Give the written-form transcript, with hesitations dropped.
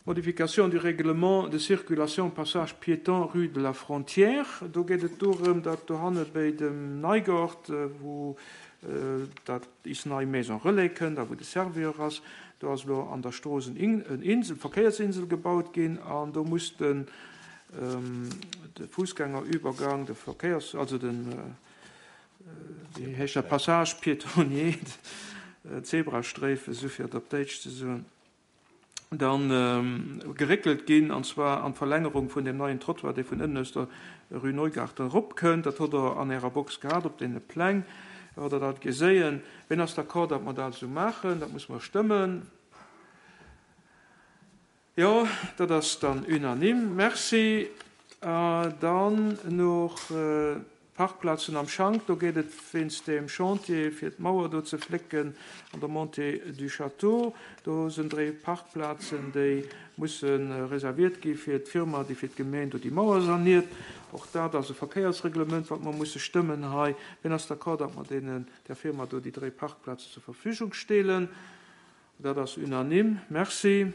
Modification du règlement de circulation passage piéton rue de la Frontière. Do geet et dorëm, datt dohanne béi dem Neigort, wou dat is nei Maison Relais kënnt a wou de Servior ass, do ass elo an der Strooss en Insel, Verkéiersinsel gebaut ginn an do muss den de Fussgängerübergang, de Verkéiers, also den, wéi heescht dat, Passage piétonnier, Zebrastréifen, esou fir et op Déitsch ze soen. Dann geréckelt ginn, an zwar an d'Verlängerung vun deem neien Trottoir, dee vun ënnen aus der Rue Neugarten eropkënnt. Dat hutt Der an Ärer Box gehat op deene Pläng, hutt Der dat geséien. Wien ass d'accord, datt mer dat esou maachen? Dat musse mer stëmmen. Jo, dat ass dann unanime. Merci. Dann nach Parkplazen am Schank, do geet et wéinst deem Chantier fir d'Mauer do ze flécken an der Montée du Château. Do sinn dréi Parkplazen, déi musse reserviert gi fir d'Firma, déi fir d'Gemeen do déi Mauer saniert. Och dat ass e Verkéiersreglement, wat mer musse stëmmen hei. Wien ass d'accord, datt mer deenen, där Firma do déi dréi Parkplazen zur Verfügung stelen? Dat ass unanime. Merci.